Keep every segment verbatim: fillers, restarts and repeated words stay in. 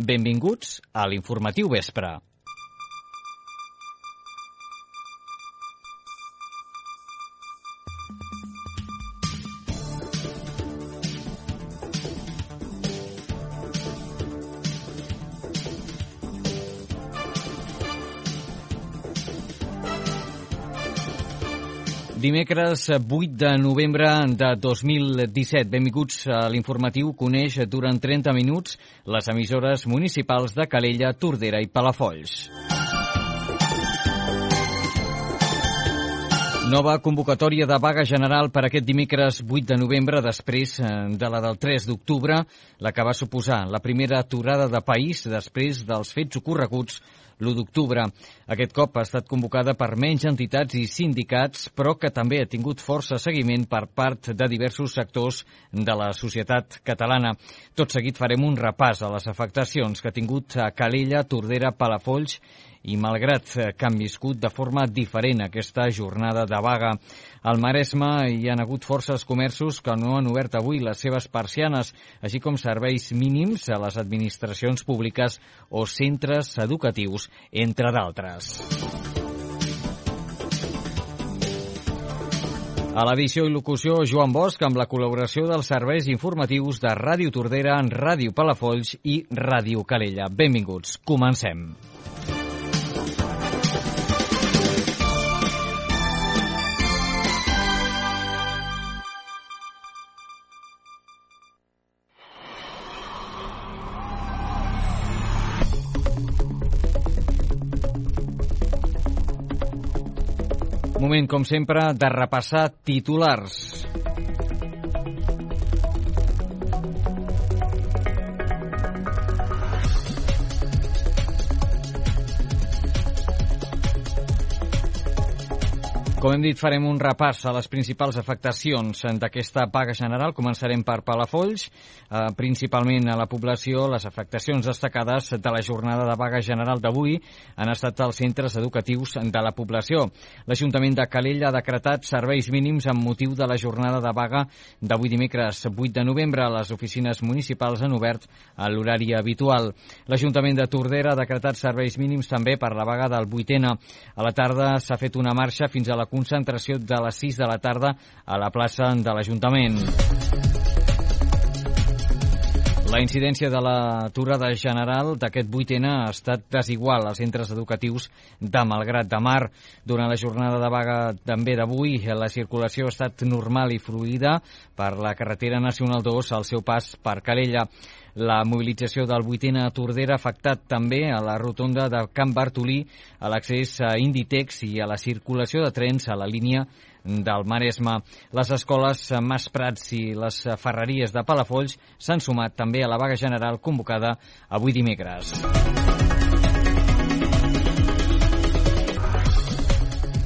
Benvinguts a l'informatiu vespre. Dimecres vuit de novembre de dos mil disset. Benvinguts a l'informatiu. Coneix durant trenta minuts les emissores municipals de Calella, Tordera i Palafolls. Nova convocatòria de vaga general per aquest dimecres vuit de novembre, després de la del tres d'octubre, la que va suposar la primera aturada de país després dels fets ocorreguts l'u d'octubre. Aquest cop ha estat convocada per menys entitats i sindicats, però que també ha tingut força seguiment per part de diversos sectors de la societat catalana. Tot seguit farem un repàs a les afectacions que ha tingut a Calella, Tordera, Palafolls i malgrat que han viscut de forma diferent aquesta jornada de vaga. Al Maresme hi han hagut forces comerços que no han obert avui les seves persianes, així com serveis mínims a les administracions públiques o centres educatius, entre d'altres. A l'edició i locució, Joan Bosch, amb la col·laboració dels serveis informatius de Ràdio Tordera, Ràdio Palafolls i Ràdio Calella. Benvinguts. Comencem. Moment, com sempre, de repassar titulars. Com hem dit, farem un repàs a les principals afectacions d'aquesta vaga general. Començarem per Palafolls, eh, principalment a la població. Les afectacions destacades de la jornada de vaga general d'avui han estat als centres educatius de la població. L'Ajuntament de Calella ha decretat serveis mínims amb motiu de la jornada de vaga d'avui dimecres vuit de novembre. Les oficines municipals han obert a l'horari habitual. L'Ajuntament de Tordera ha decretat serveis mínims també per la vaga del vuitena. A la tarda s'ha fet una marxa fins a la concentració de les sis de la tarda a la plaça de l'Ajuntament. La incidència de l'aturada general d'aquest vuitena ha estat desigual als centres educatius de Malgrat de Mar. Durant la jornada de vaga també d'avui, la circulació ha estat normal i fluida per la carretera nacional dos al seu pas per Calella. La mobilització del vuitena a Tordera ha afectat també a la rotonda de Can Bartolí, a l'accés a Inditex i a la circulació de trens a la línia del Maresme. Les escoles Mas Prats i les ferreries de Palafolls s'han sumat també a la vaga general convocada avui dimecres.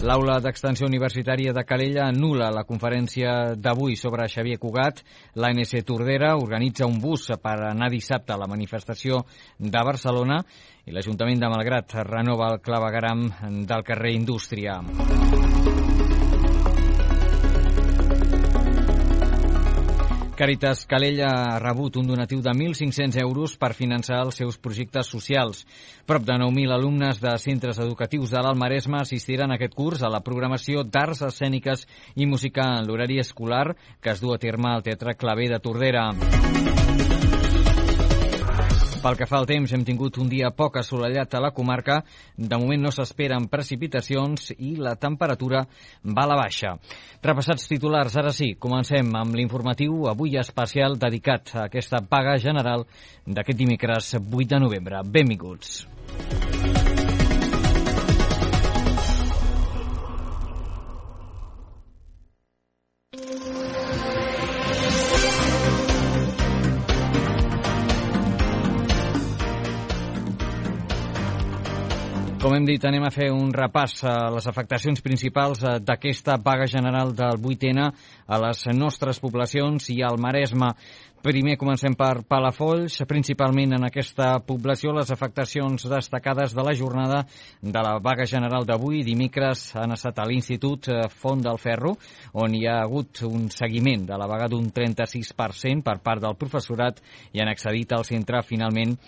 L'Aula d'Extensió Universitària de Calella anul·la la conferència d'avui sobre Xavier Cugat. L'A N C Tordera organitza un bus per anar dissabte a la manifestació de Barcelona i l'Ajuntament de Malgrat renova el clavegueram del carrer Indústria. Càritas Calella ha rebut un donatiu de mil cinc-cents euros per finançar els seus projectes socials. Prop de nou mil alumnes de centres educatius de l'Alt Maresme assistiran aquest curs a la programació d'arts escèniques i música en l'horari escolar que es du a terme al Teatre Claver de Tordera. Pel que fa al temps, hem tingut un dia poc assolellat a la comarca. De moment no s'esperen precipitacions i la temperatura va a la baixa. Repassats titulars, ara sí, comencem amb l'informatiu avui especial dedicat a aquesta vaga general d'aquest dimecres vuit de novembre. Benvinguts. Com hem dit, anem a fer un repàs a les afectacions principals d'aquesta vaga general del vuitena a les nostres poblacions i al Maresme. Primer comencem per Palafolls, principalment en aquesta població. Les afectacions destacades de la jornada de la vaga general d'avui, dimecres, han estat a l'Institut Font del Ferro, on hi ha hagut un seguiment de la vaga d'un trenta-sis per cent per part del professorat i han accedit al centre finalment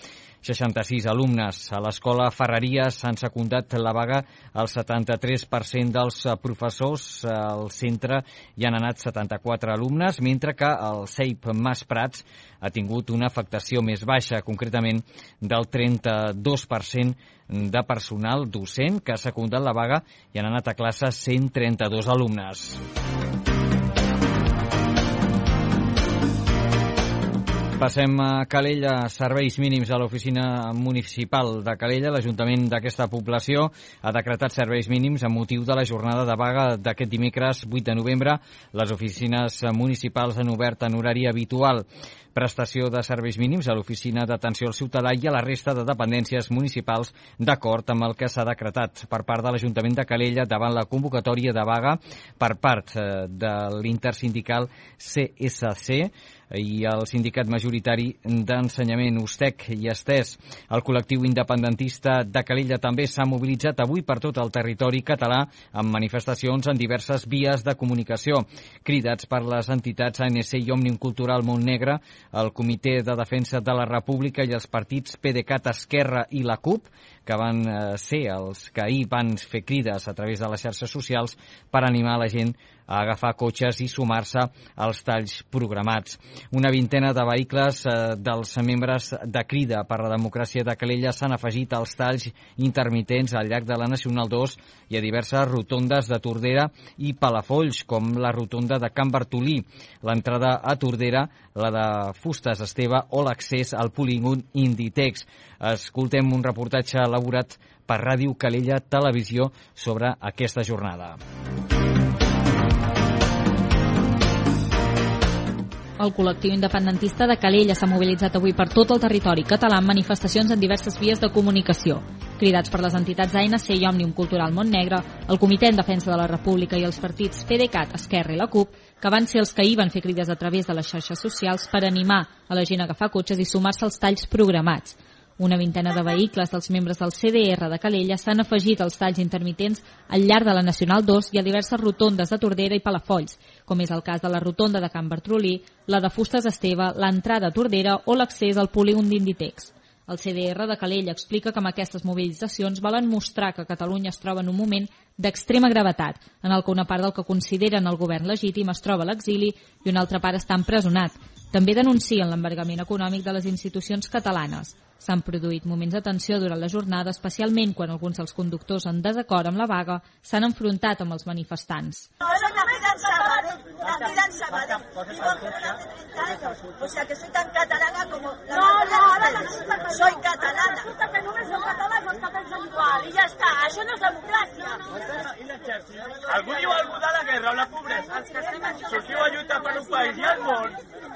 seixanta-sis alumnes. A l'Escola Ferreries s'han secundat la vaga el setanta-tres per cent dels professors. Al centre hi han anat setanta-quatre alumnes, mentre que el C E I P Mas Prats ha tingut una afectació més baixa, concretament del trenta-dos per cent de personal docent que ha secundat la vaga i han anat a classe cent trenta-dos alumnes. Passem a Calella, serveis mínims a l'oficina municipal de Calella. L'Ajuntament d'aquesta població ha decretat serveis mínims amb motiu de la jornada de vaga d'aquest dimecres vuit de novembre. Les oficines municipals han obert en horari habitual. Prestació de serveis mínims a l'oficina d'atenció al ciutadà i a la resta de dependències municipals d'acord amb el que s'ha decretat per part de l'Ajuntament de Calella davant la convocatòria de vaga per part de l'intersindical C S C i el sindicat majoritari d'ensenyament USTEC i Estès. El col·lectiu independentista de Calella també s'ha mobilitzat avui per tot el territori català amb manifestacions en diverses vies de comunicació. Cridats per les entitats A N C i Òmnium Cultural Montnegre, el Comitè de Defensa de la República i els partits PDeCAT, Esquerra i la CUP, que van ser els que ahir van fer crides a través de les xarxes socials per animar la gent a agafar cotxes i sumar-se als talls programats. Una vintena de vehicles eh, dels membres de Crida per la Democràcia de Calella s'han afegit als talls intermitents al llarg de la Nacional dos i a diverses rotondes de Tordera i Palafolls, com la rotonda de Can Bartolí, l'entrada a Tordera, la de Fustes Esteve o l'accés al polígon Inditex. Escoltem un reportatge elaborat per Ràdio Calella Televisió sobre aquesta jornada. El col·lectiu independentista de Calella s'ha mobilitzat avui per tot el territori català amb manifestacions en diverses vies de comunicació. Cridats per les entitats A N C i Òmnium Cultural Montnegre, el Comitè en Defensa de la República i els partits PDeCAT, Esquerra i la CUP, que van ser els que ahir van fer crides a través de les xarxes socials per animar a la gent a agafar cotxes i sumar-se als talls programats. Una vintena de vehicles dels membres del C D R de Calella s'han afegit als talls intermitents al llarg de la Nacional dos i a diverses rotondes de Tordera i Palafolls, com és el cas de la rotonda de Can Bartolí, la de Fustes Esteve, l'entrada a Tordera o l'accés al polígon d'Inditex. El C D R de Calella explica que amb aquestes mobilitzacions volen mostrar que Catalunya es troba en un moment d'extrema gravetat, en el que una part del que consideren el govern legítim es troba a l'exili i una altra part està empresonat. També denuncien l'embargament econòmic de les institucions catalanes. S'han produït moments de tensió durant la jornada, especialment quan alguns dels conductors en desacord amb la vaga s'han enfrontat amb els manifestants. Soy nacida en Sabadell, nacida en Sabadell, vivo en Gerona hace treinta años, o sea que soy tan catalana como la No, no, ahora no resulta que soy catalana. Resulta que només som catalans, els catalans són igual, i ja està, això no és democràcia. Algú diu algú de la guerra o la pobresa? Sortiu a lluitar per un país, i al món,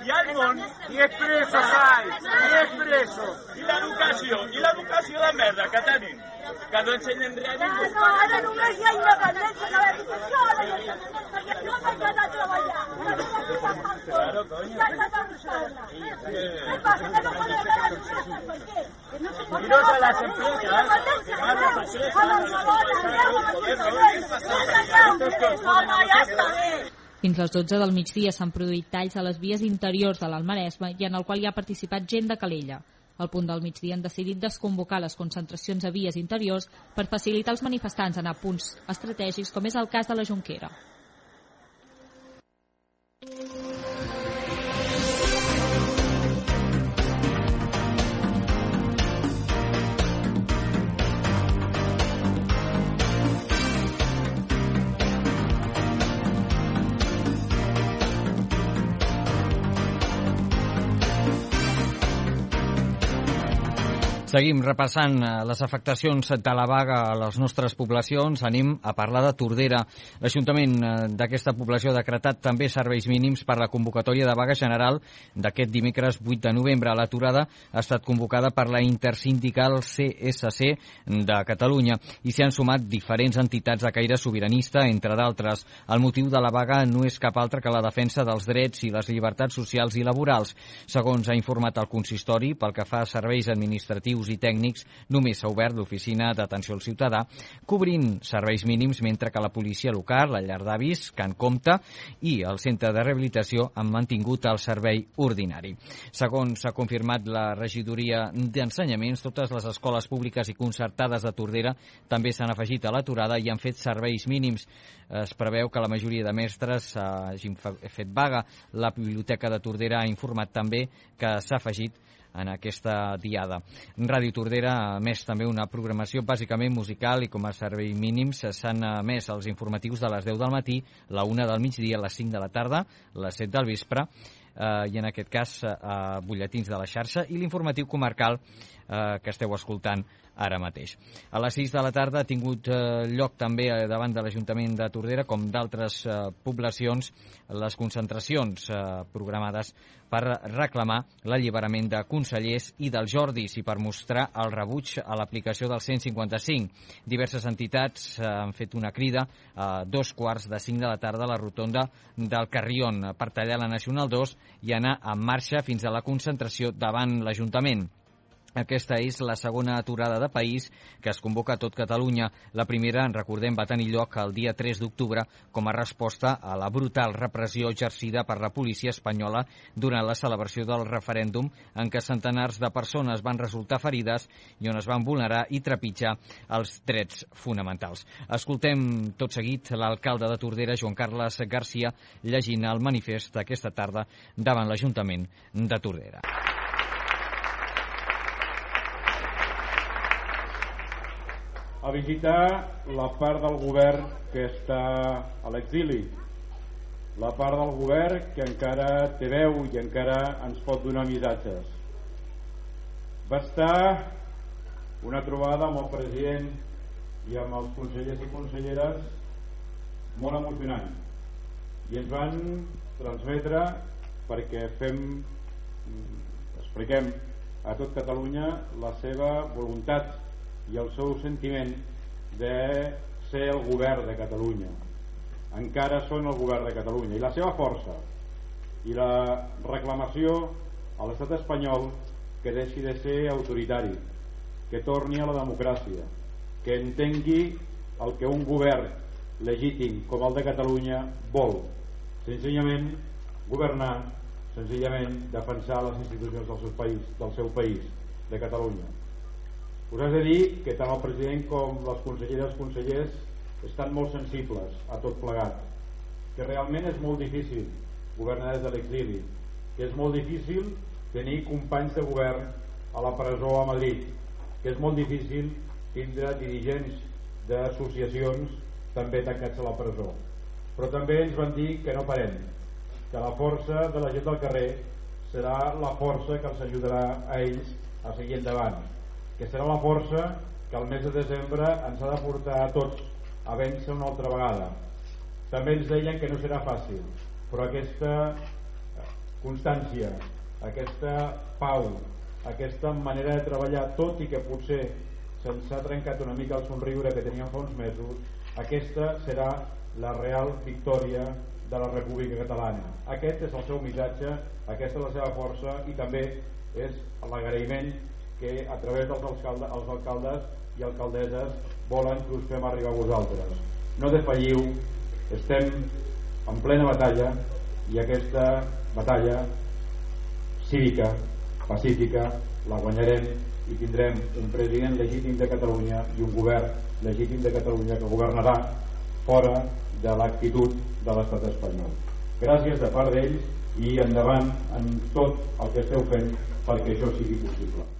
i al món, i és preso, sai, i és preso. I l'educació, i l'educació de merda que tenim, que no ensenyen res a ningú. No, ara només hi ha independència de l'educació, ara hi ha perquè no s'ha d'anar a treballar. Claro, coño. Ja s'ha de buscar-la. Què passa, que no podem anar a l'educació, per què? Y no se las empresas, claro, ¿por qué? Fins les dotze del migdia s'han produït talls a les vies interiors de l'Almaresme i en el qual hi ha participat gent de Calella. Al punt del migdia han decidit desconvocar les concentracions a vies interiors per facilitar als manifestants anar a punts estratègics, com és el cas de la Jonquera. Seguim repassant les afectacions de la vaga a les nostres poblacions. Anem a parlar de Tordera. L'Ajuntament d'aquesta població ha decretat també serveis mínims per la convocatòria de vaga general d'aquest dimecres vuit de novembre. L'aturada ha estat convocada per la intersindical C S C de Catalunya i s'hi han sumat diferents entitats de caire sobiranista, entre d'altres. El motiu de la vaga no és cap altre que la defensa dels drets i les llibertats socials i laborals. Segons ha informat el consistori, pel que fa a serveis administratius administratius i tècnics només s'ha obert l'oficina d'atenció al ciutadà, cobrint serveis mínims, mentre que la policia local, la llar d'avis, Can Comte i el centre de rehabilitació han mantingut el servei ordinari. Segons s'ha confirmat la regidoria d'Ensenyaments, totes les escoles públiques i concertades de Tordera també s'han afegit a l'aturada i han fet serveis mínims. Es preveu que la majoria de mestres hagin fet vaga. La Biblioteca de Tordera ha informat també que s'ha afegit en aquesta diada. Ràdio Tordera ha emès també una programació bàsicament musical i com a servei mínims s'han emès els informatius de les deu del matí, la una del migdia, les cinc de la tarda, les set del vespre, eh, i en aquest cas eh, butlletins de la xarxa i l'informatiu comarcal eh, que esteu escoltant ara mateix. A les sis de la tarda ha tingut eh, lloc també eh, davant de l'Ajuntament de Tordera, com d'altres eh, poblacions, les concentracions eh, programades per reclamar l'alliberament de consellers i dels Jordis i per mostrar el rebuig a l'aplicació del cent cinquanta cinc. Diverses entitats eh, han fet una crida a dos quarts de cinc de la tarda a la rotonda del Carrion per tallar la Nacional dos i anar en marxa fins a la concentració davant l'Ajuntament. Aquesta és la segona aturada de país que es convoca a tot Catalunya. La primera, en recordem, va tenir lloc el dia tres d'octubre com a resposta a la brutal repressió exercida per la policia espanyola durant la celebració del referèndum en què centenars de persones van resultar ferides i on es van vulnerar i trepitjar els drets fonamentals. Escoltem tot seguit l'alcalde de Tordera, Joan Carles Garcia, llegint el manifest aquesta tarda davant l'Ajuntament de Tordera. A visitar la part del govern que està a l'exili, la part del govern que encara té veu i encara ens pot donar missatges. Va estar una trobada amb el president i amb els consellers i conselleres molt emocionant i ens van transmetre, perquè fem, expliquem a tot Catalunya la seva voluntat i el seu sentiment de ser el govern de Catalunya. Encara són el govern de Catalunya i la seva força i la reclamació a l'estat espanyol que deixi de ser autoritari, que torni a la democràcia, que entengui el que un govern legítim com el de Catalunya vol, senzillament governar, senzillament defensar les institucions del seu país, del seu país, de Catalunya. Us he de dir que tant el president com les conselleres i consellers estan molt sensibles a tot plegat, que realment és molt difícil governar des de l'exili, que és molt difícil tenir companys de govern a la presó a Madrid, que és molt difícil tindre dirigents d'associacions també tancats a la presó. Però també ens van dir que no parem, que la força de la gent del carrer serà la força que els ajudarà a ells a seguir endavant, que serà la força que el mes de desembre ens ha de portar a tots a vèncer una altra vegada. També ens deien que no serà fàcil, però aquesta constància, aquesta pau, aquesta manera de treballar, tot i que potser se'ns ha trencat una mica el somriure que teníem fa uns mesos, aquesta serà la real victòria de la República Catalana. Aquest és el seu missatge, aquesta és la seva força i també és l'agraïment que a través dels alcaldes, els alcaldes i alcaldesses volen que us fem arribar a vosaltres. No defalliu, estem en plena batalla i aquesta batalla cívica, pacífica, la guanyarem i tindrem un president legítim de Catalunya i un govern legítim de Catalunya que governarà fora de l'actitud de l'estat espanyol. Gràcies de part d'ells i endavant en tot el que esteu fent perquè això sigui possible.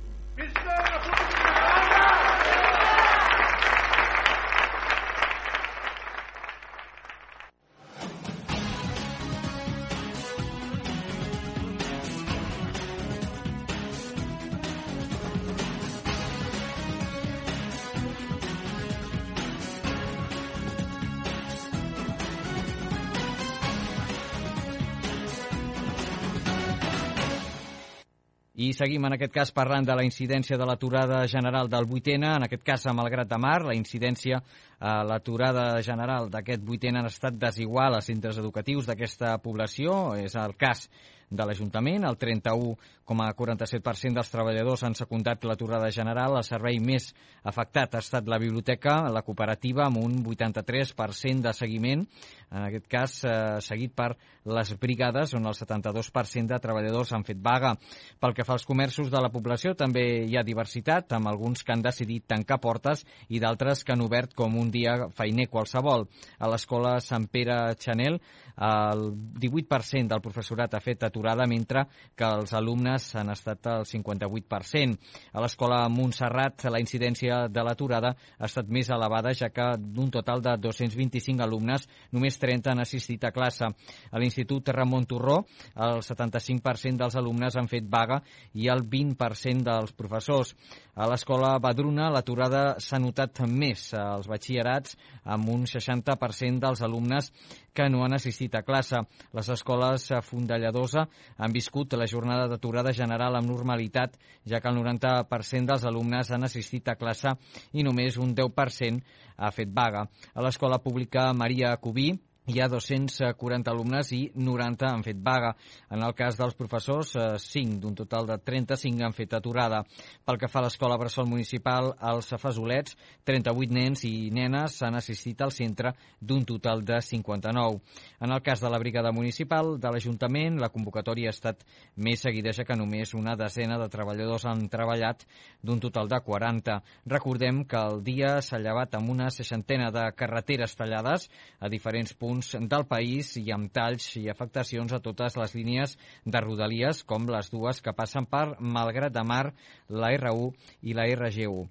I seguim en aquest cas parlant de la incidència de l'aturada general del vuitena, en aquest cas a Malgrat de Mar. La incidència a l'aturada general d'aquest vuitena ha estat desigual als centres educatius d'aquesta població. És el cas de l'Ajuntament. El trenta-u coma quaranta-set per cent dels treballadors han secundat l'aturada general. El servei més afectat ha estat la biblioteca, la cooperativa, amb un vuitanta-tres per cent de seguiment, en aquest cas eh, seguit per les brigades, on el setanta-dos per cent de treballadors han fet vaga. Pel que fa als comerços de la població, també hi ha diversitat, amb alguns que han decidit tancar portes i d'altres que han obert com un dia feiner qualsevol. A l'escola Sant Pere Chanel, el divuit per cent del professorat ha fet aturada, mentre que els alumnes han estat el cinquanta-vuit per cent. A l'escola Montserrat, la incidència de l'aturada ha estat més elevada, ja que d'un total de dos-cents vint-i-cinc alumnes, només trenta han assistit a classe. A l'Institut Ramon Turró, el setanta-cinc per cent dels alumnes han fet vaga i el vint per cent dels professors. A l'escola Badruna, l'aturada s'ha notat més als batxillerats, amb un seixanta per cent dels alumnes que no han assistit a classe. Les escoles Fondelladosa han viscut la jornada d'aturada general amb normalitat, ja que el noranta per cent dels alumnes han assistit a classe i només un deu per cent ha fet vaga. A l'escola pública Maria Cubí hi ha dos-cents quaranta alumnes i noranta han fet vaga. En el cas dels professors, cinc d'un total de trenta-cinc han fet aturada. Pel que fa a l'escola Bressol Municipal, als Fesolets, trenta-vuit nens i nenes han assistit al centre d'un total de cinquanta-nou. En el cas de la brigada municipal de l'Ajuntament, la convocatòria ha estat més seguida, ja que només una desena de treballadors han treballat d'un total de quaranta. Recordem que el dia s'ha llevat amb una seixantena de carreteres tallades a diferents punts del país i amb talls i afectacions a totes les línies de Rodalies, com les dues que passen per Malgrat de Mar, la erre u i la erre ge u.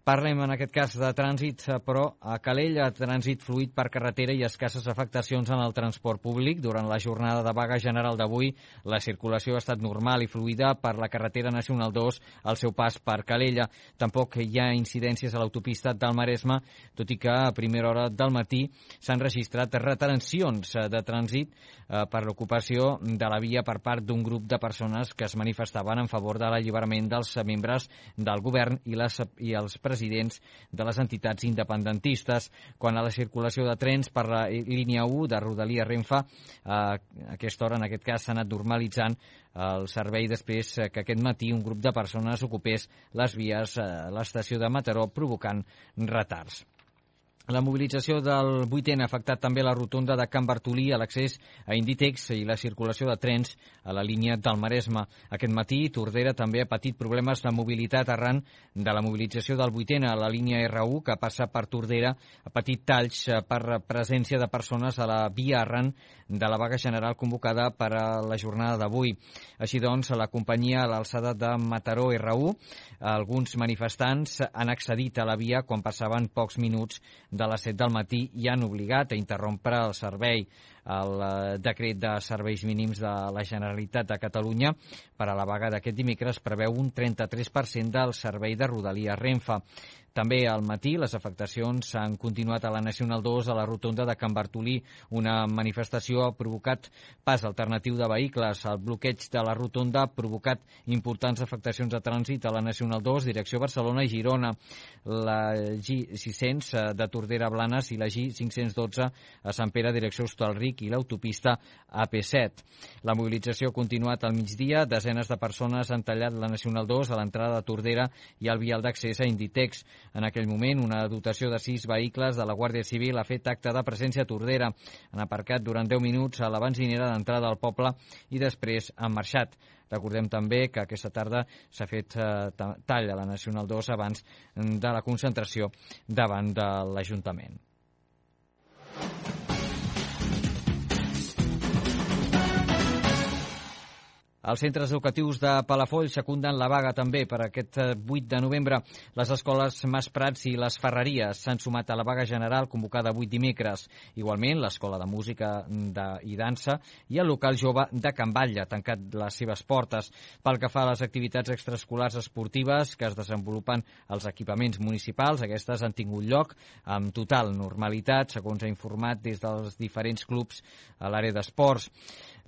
Parlem en aquest cas de trànsit, però a Calella, trànsit fluid per carretera i escasses afectacions en el transport públic. Durant la jornada de vaga general d'avui, la circulació ha estat normal i fluida per la carretera nacional dos al seu pas per Calella. Tampoc hi ha incidències a l'autopista del Maresme, tot i que a primera hora del matí s'han registrat retencions de trànsit eh, per l'ocupació de la via per part d'un grup de persones que es manifestaven en favor de l'alliberament dels membres del govern i, les, i els presidents presidents de les entitats independentistes. Quan a la circulació de trens per la línia u de Rodalia Renfe, a aquesta hora, en aquest cas, s'ha anat normalitzant el servei després que aquest matí un grup de persones ocupés les vies a l'estació de Mataró, provocant retards. La mobilització del vuitè ha afectat també la rotonda de Can Bartolí, a l'accés a Inditex i la circulació de trens a la línia del Maresme. Aquest matí, Tordera també ha patit problemes de mobilitat arran de la mobilització del vuitè a la línia erre u, que passa per Tordera. Ha patit talls per presència de persones a la via arran de la vaga general convocada per a la jornada d'avui. Així doncs, la companyia a l'alçada de Mataró erre u, alguns manifestants han accedit a la via quan passaven pocs minuts de les set del matí i han obligat a interrompre el servei. El decret de serveis mínims de la Generalitat de Catalunya per a la vaga d'aquest dimecres preveu un trenta-tres per cent del servei de Rodalia Renfe. També al matí les afectacions han continuat a la Nacional dos, a la rotonda de Can Bartolí. Una manifestació ha provocat pas alternatiu de vehicles. El bloqueig de la rotonda ha provocat importants afectacions de trànsit a la Nacional dos, direcció Barcelona i Girona. La G sis-cents de Tordera a Blanes i la G cinc-cents dotze a Sant Pere, direcció Hostalric, i l'autopista A P set. La mobilització ha continuat al migdia. Desenes de persones han tallat la Nacional dos a l'entrada de Tordera i al vial d'accés a Inditex. En aquell moment, una dotació de sis vehicles de la Guàrdia Civil ha fet acte de presència a Tordera. Han aparcat durant deu minuts a la benzinera d'entrada al poble i després han marxat. Recordem també que aquesta tarda s'ha fet eh, tall a la Nacional dos abans de la concentració davant de l'Ajuntament. Els centres educatius de Palafolls secunden la vaga també per aquest vuit de novembre. Les escoles Mas Prats i les Ferreries s'han sumat a la vaga general convocada avui dimecres. Igualment, l'Escola de Música de, i Dansa i el local jove de Can Batlle ha tancat les seves portes. Pel que fa a les activitats extraescolars esportives que es desenvolupen als equipaments municipals, aquestes han tingut lloc amb total normalitat, segons ha informat des dels diferents clubs a l'àrea d'esports.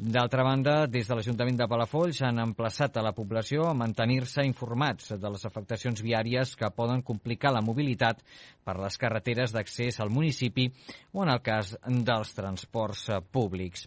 D'altra banda, des de l'Ajuntament de Palafolls han emplaçat a la població a mantenir-se informats de les afectacions viàries que poden complicar la mobilitat per les carreteres d'accés al municipi o en el cas dels transports públics.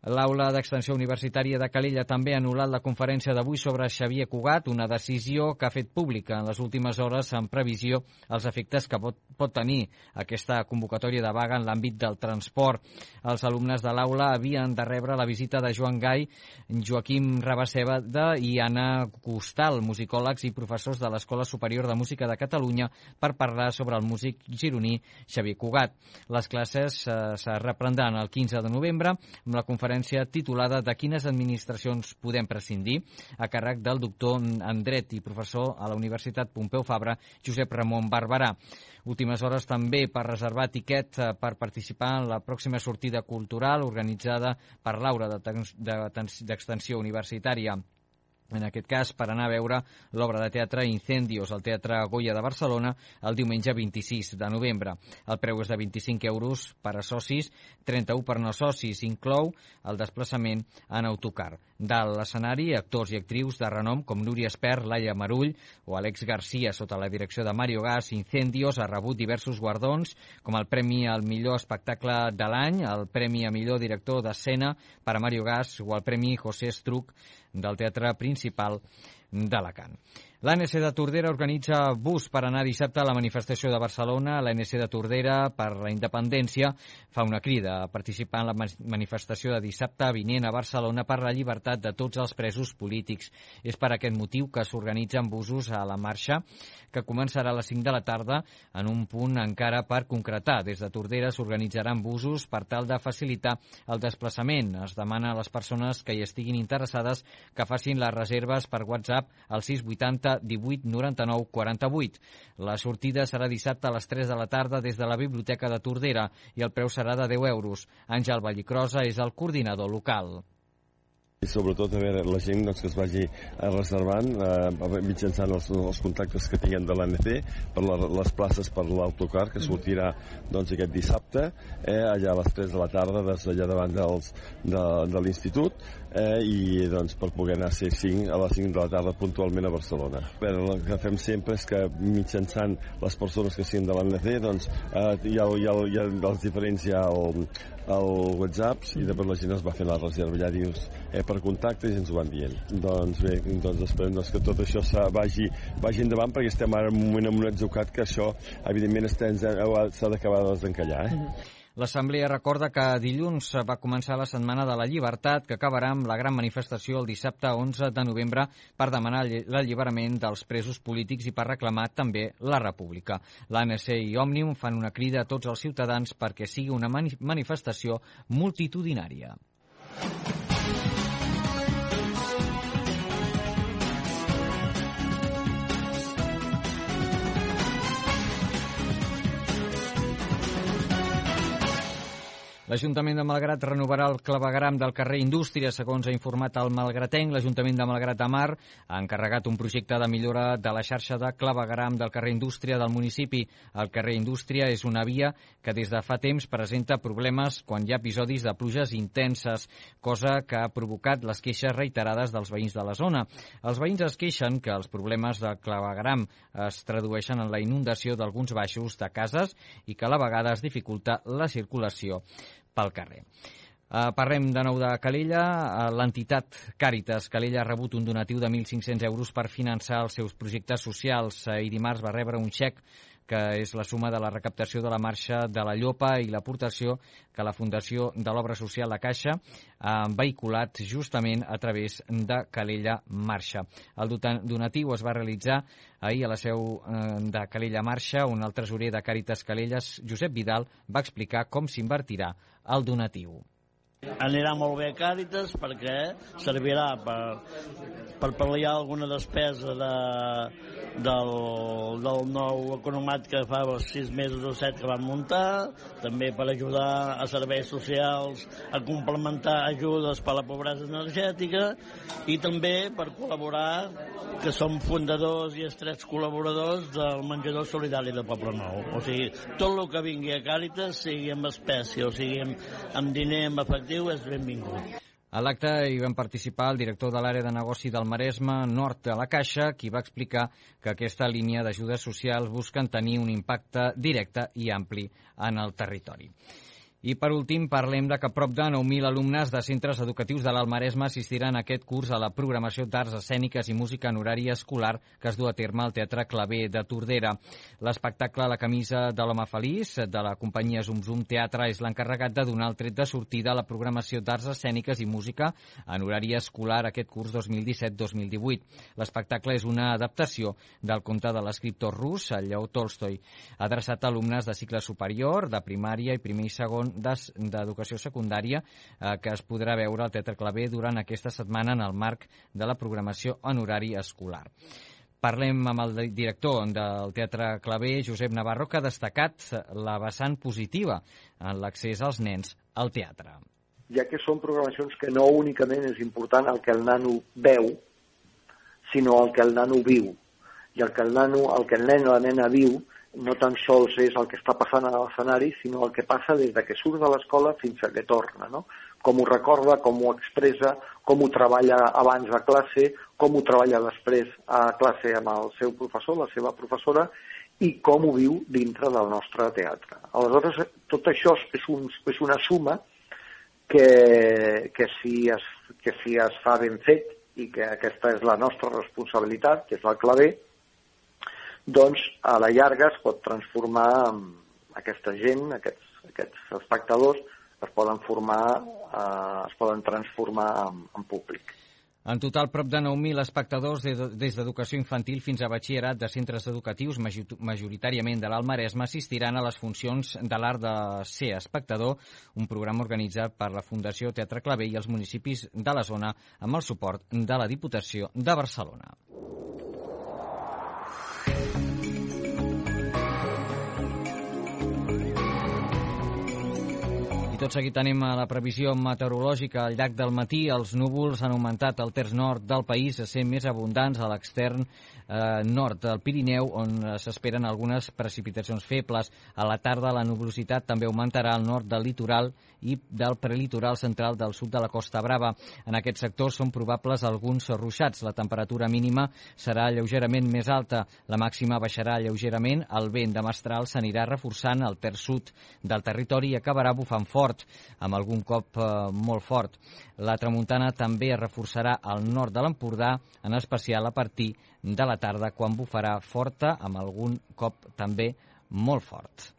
L'Aula d'Extensió Universitària de Calella també ha anul·lat la conferència d'avui sobre Xavier Cugat, una decisió que ha fet pública en les últimes hores en previsió als efectes que pot, pot tenir aquesta convocatòria de vaga en l'àmbit del transport. Els alumnes de l'aula havien de rebre la visita de Joan Gai, Joaquim Rabaseda i Anna Costal, musicòlegs i professors de l'Escola Superior de Música de Catalunya, per parlar sobre el músic gironí Xavier Cugat. Les classes eh, se reprendran el quinze de novembre amb la conferència titulada "De quines administracions podem prescindir?", a càrrec del doctor en dret i professor a la Universitat Pompeu Fabra, Josep Ramon Barberà. Últimes hores també per reservar tiquet per participar en la pròxima sortida cultural organitzada per l'Aula d'Extensió Universitària. En aquest cas, per anar a veure l'obra de teatre Incendios al Teatre Goya de Barcelona el diumenge vint-i-sis de novembre. El preu és de vint-i-cinc euros per a socis, trenta-u per no socis. Inclou el desplaçament en autocar. Dalt l'escenari, actors i actrius de renom com Núria Espert, Laia Marull o Àlex Garcia, sota la direcció de Mario Gas. Incendios ha rebut diversos guardons, com el Premi al millor espectacle de l'any, el Premi a millor director d'escena per a Mario Gas o el Premi José Estruc del Teatre Principal d'Alacant. L'A N C de Tordera organitza bus per anar dissabte a la manifestació de Barcelona. L'A N C de Tordera per la Independència fa una crida a participar en la manifestació de dissabte vinent a Barcelona per la llibertat de tots els presos polítics. És per aquest motiu que s'organitzen busos a la marxa, que començarà a les cinc de la tarda en un punt encara per concretar. Des de Tordera s'organitzaran busos per tal de facilitar el desplaçament. Es demana a les persones que hi estiguin interessades que facin les reserves per WhatsApp al sis vuitanta divuit noranta-nou quaranta-vuit. La sortida serà dissabte a les tres de la tarda des de la Biblioteca de Tordera i el preu serà de deu euros. Àngel Vallicrosa és el coordinador local. I sobretot a veure, la gent doncs, que es vagi reservant eh, mitjançant els, els contactes que tinguem de l'A N C per la, les places per l'autocar que sortirà doncs, aquest dissabte eh, allà a les tres de la tarda des d'allà davant dels, de, de l'institut eh, i doncs, per poder anar a ser cinc, a les cinc de la tarda puntualment a Barcelona. A veure, el que fem sempre és que mitjançant les persones que siguin de l'A N C doncs, eh, hi, ha, hi, ha, hi ha els diferents hi ha el, el WhatsApp i després la gent es va fent la reserva, ja dius eh, per contactes i ens ho van dient. Doncs bé, doncs esperem doncs, que tot això vagi, vagi endavant perquè estem ara en un moment en un atzucat que això evidentment s'ha d'acabar de desencallar. Eh? L'Assemblea recorda que dilluns va començar la Setmana de la Llibertat, que acabarà amb la gran manifestació el dissabte onze de novembre per demanar l'alliberament dels presos polítics i per reclamar també la República. L'A N C i Òmnium fan una crida a tots els ciutadans perquè sigui una manifestació multitudinària. L'Ajuntament de Malgrat renovarà el clavegueram del carrer Indústria. Segons ha informat el malgratenc, l'Ajuntament de Malgrat de Mar ha encarregat un projecte de millora de la xarxa de clavegueram del carrer Indústria del municipi. El carrer Indústria és una via que des de fa temps presenta problemes quan hi ha episodis de pluges intenses, cosa que ha provocat les queixes reiterades dels veïns de la zona. Els veïns es queixen que els problemes de clavegueram es tradueixen en la inundació d'alguns baixos de cases i que a la vegada es dificulta la circulació pel carrer. Uh, parlem de nou de Calella. Uh, l'entitat Càritas Calella ha rebut un donatiu de mil cinc-cents euros per finançar els seus projectes socials uh, i dimarts va rebre un xec que és la suma de la recaptació de la marxa de la Llopa i l'aportació que la Fundació de l'Obra Social La Caixa ha vehiculat justament a través de Calella Marxa. El donatiu es va realitzar ahir a la seu de Calella Marxa, on el tresorer de Càritas Calella, Josep Vidal, va explicar com s'invertirà el donatiu. Anirà molt bé a Càritas perquè servirà per, per pal·liar alguna despesa de, del, del nou economat que fa els sis mesos o set que van muntar, també per ajudar a serveis socials a complementar ajudes per a la pobresa energètica i també per col·laborar, que som fundadors i estrets col·laboradors del menjador solidari de Poble Nou. O sigui, tot el que vingui a Càritas, sigui amb espècie o sigui amb, amb diner, amb efectiu, és benvingut. A l'acte hi van participar el director de l'àrea de negoci del Maresme Nord de la Caixa, qui va explicar que aquesta línia d'ajudes socials busquen tenir un impacte directe i ampli en el territori. I per últim parlem de que prop de nou mil alumnes de centres educatius de l'Alt Maresme assistiran aquest curs a la programació d'arts escèniques i música en horari escolar que es du a terme al Teatre Clavé de Tordera. L'espectacle La camisa de l'home feliç de la companyia Zum Zum Teatre és l'encarregat de donar el tret de sortida a la programació d'arts escèniques i música en horari escolar aquest curs dos mil disset dos mil divuit. L'espectacle és una adaptació del conte de l'escriptor rus Lleó Tolstoi, adreçat a alumnes de cicle superior, de primària i primer i segon d'educació secundària, eh, que es podrà veure al Teatre Clavé durant aquesta setmana en el marc de la programació en horari escolar. Parlem amb el director del Teatre Clavé, Josep Navarro, que ha destacat la vessant positiva en l'accés als nens al teatre. Ja que són programacions que no únicament és important el que el nano veu, sinó el que el nano viu. I el que el nano, el que el nen o la nena viu no tan sols és el que està passant a l'escenari, sinó el que passa des de que surt de l'escola fins a que torna, no? Com ho recorda, com ho expressa, com ho treballa abans a classe, com ho treballa després a classe amb el seu professor, la seva professora, i com ho viu dintre del nostre teatre. Aleshores, tot això és, un, és una suma que, que, si es, que si es fa ben fet, i que aquesta és la nostra responsabilitat, que és el clavé, doncs a la llarga es pot transformar en aquesta gent, aquests, aquests espectadors, es poden formar, eh, es poden transformar en, en públic. En total, prop de nou mil espectadors des d'educació infantil fins a batxillerat de centres educatius, majoritàriament de l'Alt Maresme, assistiran a les funcions de l'art de ser espectador, un programa organitzat per la Fundació Teatre Clavé i els municipis de la zona amb el suport de la Diputació de Barcelona. I tot seguit anem a la previsió meteorològica. Al llarg del matí els núvols han augmentat al terç nord del país, a ser més abundants a l'extern eh, nord del Pirineu, on s'esperen algunes precipitacions febles. A la tarda la nuvolositat també augmentarà al nord del litoral i del prelitoral central del sud de la Costa Brava. En aquest sector són probables alguns ruixats. La temperatura mínima serà lleugerament més alta, la màxima baixarà lleugerament, el vent de mestral s'anirà reforçant al terç sud del territori i acabarà bufant fort, amb algun cop eh, molt fort. La tramuntana també es reforçarà al nord de l'Empordà, en especial a partir de la tarda, quan bufarà forta, amb algun cop també molt fort.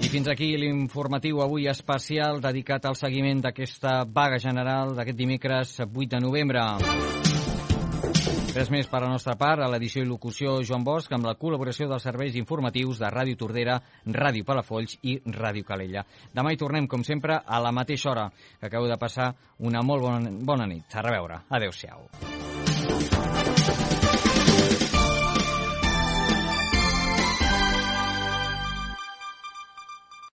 I fins aquí l'informatiu avui especial dedicat al seguiment d'aquesta vaga general d'aquest dimecres vuit de novembre. Res més per la nostra part, a l'edició i locució Joan Bosch, amb la col·laboració dels serveis informatius de Ràdio Tordera, Ràdio Palafolls i Ràdio Calella. Demà hi tornem, com sempre, a la mateixa hora, que acabeu de passar una molt bona, bona nit. A reveure. Adéu-siau.